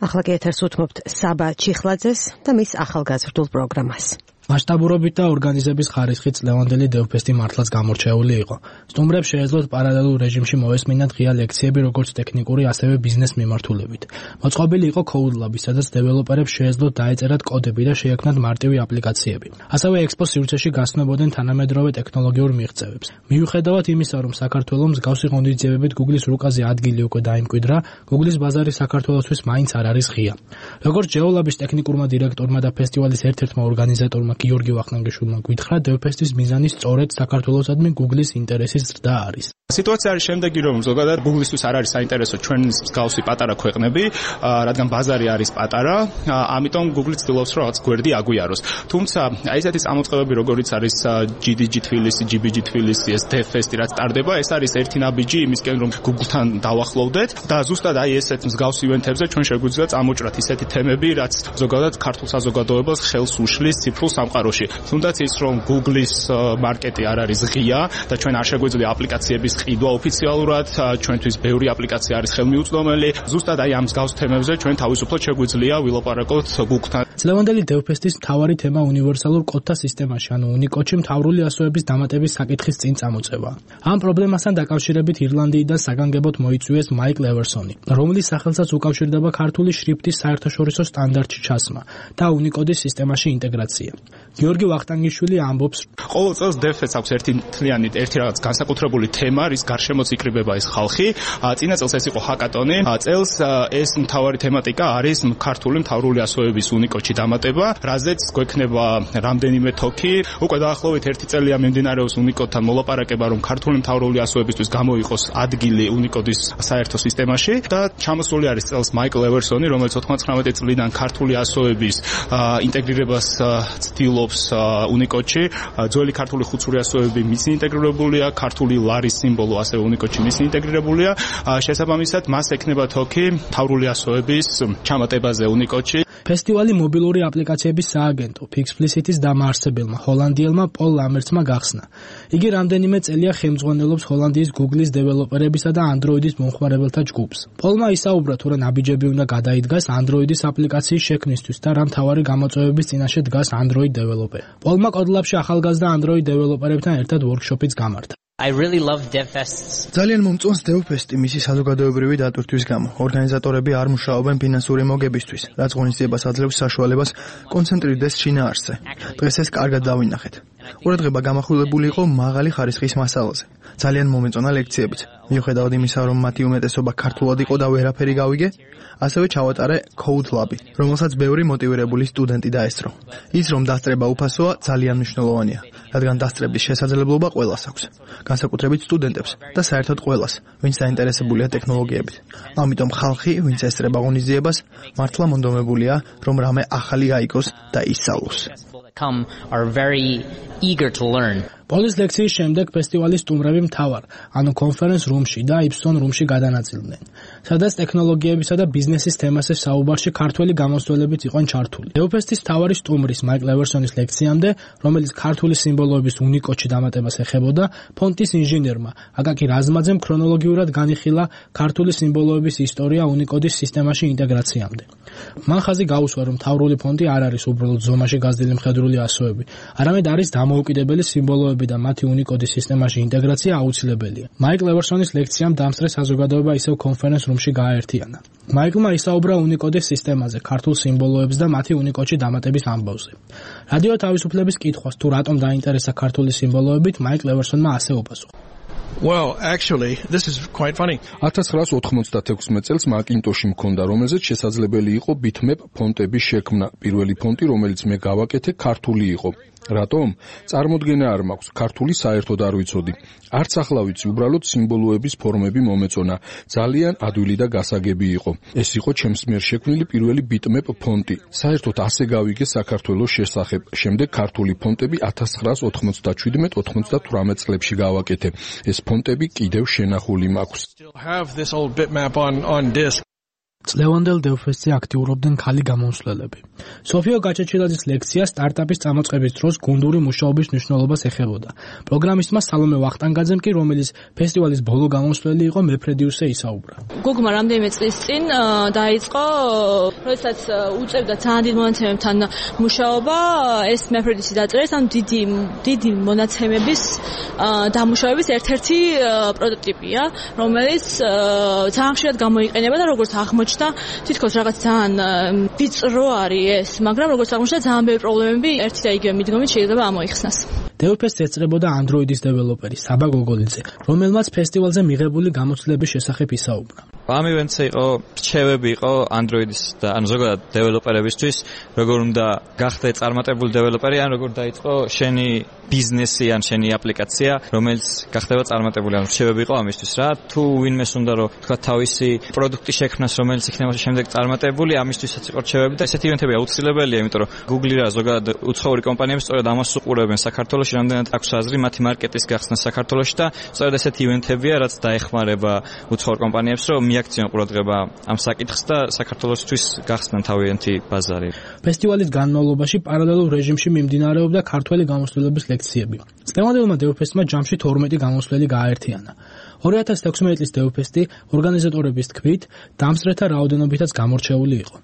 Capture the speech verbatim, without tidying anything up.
ახლა კი ეთერს უთმობთ საბა ჩიხლაძეს და მის ახალგაზრდულ პროგრამას. მასშტაბურობით და ორგანიზების ხარისხით ლევანდელი დევფესტი მართლაც გამორჩეული იყო. სტუმრებს შეეძლოთ პარალელურ რეჟიმში მოესმინათ ღია ლექციები როგორც ტექნიკური, ასევე ბიზნეს მიმართულებით. მოწყობილი იყო Code Lab, სადაც დეველოპერებს შეეძლოთ დაეწერათ კოდები და შეექმნათ მარტივი აპლიკაციები. ასევე ექსპოს სივრცეში გასცნობოდნენ თანამედროვე ტექნოლოგიურ მიღწევებს. მიუხედავად იმისა, რომ საქართველოს მსგავსი ღონისძიებებით Google-ის რუკაზე ადგილი უკვე დაიმკვიდრა, Google-ის ბაზარი საქართველოსთვის მაინც არ არის ღია. როგორც GeoLab-ის ტექნიკურმა დირექტორმა და ფესტივალის ერთ-ერთმა ორგანიზატორმა გიორგი ვახტანგიშვილმა გითხრა, დევფესტის მიზანი სწორედ საქართველოსადმი Google-ის ინტერესის ზრდა არის. სიტუაცია არის შემდეგი, რომ ზოგადად Google-ისთვის არ არის საინტერესო ჩვენი მსგავსი პატარა ქვეყნები, რადგან ბაზარი არის პატარა, ამიტომ Google ცდილობს რომ რაღაც გვერდი აგვიაროს. თუმცა აი ესეთი წამოწყებები, როგორიც არის ჯი დი ჯი თბილისი, ჯი ბი ჯი თბილისი, ეს DevFest-ი რაც ტარდება, ეს არის ერთი ნაბიჯი იმისკენ, რომ Google-თან დავახლოვდეთ და ზუსტად აი ესეთ მსგავს ივენთებზე ჩვენ შეგვიძლია წამოჭრათ ისეთი თემები, რაც ზოგადად ქართულ საზოგადოებას ხელს უშლის ციფრულ სამყაროში. თუნდაც ის, რომ Google-ის მარკეტი არ არის ღია და ჩვენ არ შეგვიძლია აპლიკაციების ყიდვა ოფიციალურად, ჩვენთვის ბევრი აპლიკაცია არის ხელმიუწვდომელი. ზუსტად აი ამ მსგავს თემებზე ჩვენ თავისუფლად შეგვიძლია ვილაპარაკოთ Google-თან. ლევანდელი დევფესტის მთავარი თემა უნივერსალურ კოდთა სისტემაში, ანუ Unicode-ში მთავრული ასოების დამატების საკითხის წინ წამოწევა. ამ პრობლემასთან დაკავშირებით ირლანდიიდან საგანგებოდ მოიწვიეს Mike Leversoni, რომლის სახელსაც უკავშირდება ქართული შრიფტის საერთაშორისო სტანდარტში ჩასმა და Unicode-ის სისტემაში ინტეგრაცია. გიორგი ვახტანგიშვილი ამბობს, ყოველ წელს DevFest-ს აქვს ერთი თლიანი, ერთი რაღაც განსაკუთრებული თემა, რის გარშემოც იკრიბება ეს ხალხი. წინა წელს ეს იყო ჰაკატონი. წელს ეს მთავარი თემატიკა არის ქართული მთავრული ასოების Unicode-ში დამატება, რაზეც გვექნება რამდენიმე თოქი. უკვე დაახლოებით ერთი წელია მიმდინარეობს Unicode-თან მოლაპარაკება, რომ ქართული მთავრული ასოებისთვის გამოიყოს ადგილი Unicode-ის საერთო სისტემაში და ჩამოსული არის წელს Mike Leversoni, რომელიც ოთხმოცდათხმეტი წლიდან ქართული ასოების ინტეგრირებას ცდილობს Unicode-ში. ძველი ქართული ხუცური ასოები მისი ინტეგრირებულია, ქართული ლარის სიმბოლო ასევე Unicode-ში მისი ინტეგრირებულია. შესაბამისად, მას ექნება თოქი მთავრული ასოების ჩამატებაზე Unicode-ში. ფესტივალი მობილური აპლიკაციების სააგენტო Pixplicit-ის დამაარსებელმა ჰოლანდიელმა პოლ ლამერცმა გახსნა. იგი რამდენიმე წელია ხელმძღვანელობს ჰოლანდიის Google-ის დეველოპერებისა და Android-ის მომხმარებელთა ჯგუფს. პოლმა ისაუბრა, თუ რა ნაბიჯები უნდა გადაიდგას Android-ის აპლიკაციის შექმნისთვის და რა მთავარი გამოწვევების წინაშე დგას Android დეველოპერი. პოლმა Code Lab-ში ახალგაზრდა Android დეველოპერებთან ერთად workshop-იც გამართა. I really love DevFests. ძალიან მომწონს DevFest-ი მისი საზოგადოებრივი დატვირთვის გამო. ორგანიზატორები არ მუშაობენ ფინანსური მოგებისთვის, რაც ღონისძიებას აძლევს საშუალებას კონცენტრირდეს შინაარსზე. დღეს ეს კარგად დავინახეთ. ყურადღება გამახვილებული იყო მაღალი ხარისხის მასალაზე. ძალიან მომეწონა ლექციებიც. მიუხედავად იმისა, რომ მათი უმეტესობა ქართულად იყო და ვერაფერი გავიგე, ასევე ჩავატარე Code Lab-ი, რომელსაც ბევრი მოტივირებული სტუდენტი დაესწრო. ის, რომ დასწრება უფასოა, ძალიან მნიშვნელოვანია, რადგან დასწრების შესაძლებლობა ყველას აქვს. განსაკუთრებით სტუდენტებს და საერთოდ ყველას, ვინც დაინტერესებულია ტექნოლოგიებით. ამიტომ ხალხი, ვინც ესწრება ღონისძიებას, მართლა მონდომებულია, რომ რამე ახალი გაიგოს და ისწავლოს. Come are very eager to learn. პოლის ლექციის შემდეგ ფესტივალის სტუმრები მთავარ, ანუ კონფერენს რუმში და Ipson რუმში გადანაწილდნენ, სადაც ტექნოლოგიებისა და ბიზნესის თემაზე საუბარში ქართველი გამოსვლელებიც იყვნენ ჩართული. DevFest-ის მთავარი სტუმრის Mike Leversonis ლექციამდე, რომელიც ქართული სიმბოლოების Unicode-ში დამატებას ეხებოდა, ფონტის ინჟინერმა აკაკი რაზმაძემ ქრონოლოგიურად განიხილა ქართული სიმბოლოების ისტორია Unicode-ის სისტემაში ინტეგრაციამდე. მან ხაზი გაუსვა, რომ მთავრული ფონტი არ არის უბრალოდ ზომაში გაზრდილი მხედრული ასოები, არამედ არის დამოუკიდებელი სიმბოლოები და მათი Unicode-ის სისტემაში ინტეგრაცია აუცილებელია. Mike Leversonis ლექციამ დამსწრე საზოგადოება ისევ კონფერენს რუმში გააერთიანა. Mike-მა ისაუბრა Unicode-ის სისტემაზე, ქართულ სიმბოლოებს და მათი Unicode-ში დამატების ამბავზე. რადიო თავისუფლების კითხვას, თუ რატომ დაინტერესა ქართული სიმბოლოებით, Mike Leversonმა ასე უპასუხა. Well, actually, this is quite funny. ათას ცხრაას ოთხმოცდათექვსმეტ წელს Macintosh-ი მქონდა, რომელზეც შესაძლებელი იყო bitmap ფონტების შექმნა. პირველი ფონტი, რომელიც მე გავაკეთე, ქართული იყო. რატომ? წარმოდგენა არ მაქვს, ქართული საერთოდ არ ვიცოდი. არც ახლა ვიცი, უბრალოდ სიმბოლოების ფორმები მომეწონა. ძალიან ადვილი და გასაგები იყო. ეს იყო ჩემს მიერ შექმნილი პირველი bitmap ფონტი. საერთოდ ასე გავიგე საქართველოს შესახებ. შემდეგ ქართული ფონტები ათას ცხრაას ოთხმოცდაშვიდმეტ ოცდათვრამეტ წლებში გავაკეთე. ეს ფონტები კიდევ შენახული მაქვს. Still have this old bitmap on on disk. წლევანდელ დევფესტზე აქტიურობდნენ ქალი გამომცვლელები. სოფიო გაჩეჩილაძის ლექცია სტარტაპის წამოწყების დროს გუნდური მუშაობის მნიშვნელობას ეხებოდა. პროგრამისტმა სალომე ვახტანგაძემ კი, რომელიც ფესტივალის ბოლო გამომცვლელი იყო, მეფრედიუსზე ისაუბრა. გოგმა რამდენიმე წლის წინ დაიწყო, როდესაც უწევდა ძალიან დიდ მონაცემებთან მუშაობა, ეს მეფრედიუსი დაწერეს, ან დიდი დიდი მონაცემების დამუშავების ერთ-ერთი პროტოტიპია, რომელიც ძალიან ხშირად გამოიყენება და როგორც აღმოჩნდა, თითქოს რაღაც ძალიან ვიწრო არის ეს, მაგრამ როგორც აღმოჩნდა, ძალიან ბევრი პრობლემები ერთი და იგივე მიდგომით შეიძლება ამოიხსნას. დევფესტს ეწრებოდა Android-ის დეველოპერი საბა გოგოლიძე, რომელმაც ფესტივალზე მიღებული გამოცდილების შესახებ ისაუბრა. ამ ივენტზე იყო რჩევები იყო Android-ის და ან ზოგადად დეველოპერებისთვის, როგორ უნდა გახდე წარმატებული დეველოპერი, ან როგორ დაიწყო შენი ბიზნესი ან შენი აპლიკაცია, რომელიც გახდება წარმატებული. ან რჩევები იყო ამისთვის რა, თუ ვინმეს უნდა რომ თქვა თავისი პროდუქტი შექმნას, რომელიც იქნება შემდეგ წარმატებული, ამისთვისაც იყო რჩევები და ესეთი ივენტები აუცილებელია, იმიტომ რომ Google რა ზოგადად უცხოური კომპანიები სწორედ ამას უყურებენ საქართველოში, რამდენად აქვს აზრი მათი მარკეტის გახსნა საქართველოში და სწორედ ესეთი ივენტებია, რაც დაეხმარება უცხოურ კომპანიებს, რომ მიაქციონ ყურადღება ამ საკითხს და საქართველოსთვის გახსნან თავიანთი ბაზარი. ფესტივალის განმავლობაში პარალელურ რეჟიმში მიმდინარეობდა ქართველი გამოცდილების ლექციები. წლევანდელმა დევფესტმა ჯამში თორმეტი გამოცვლელი გააერთიანა. ორი ათას ექვსმეტი წლის დევფესტი ორგანიზატორების თქმით, დამსწრეთა რაოდენობითაც გამორჩეული იყო.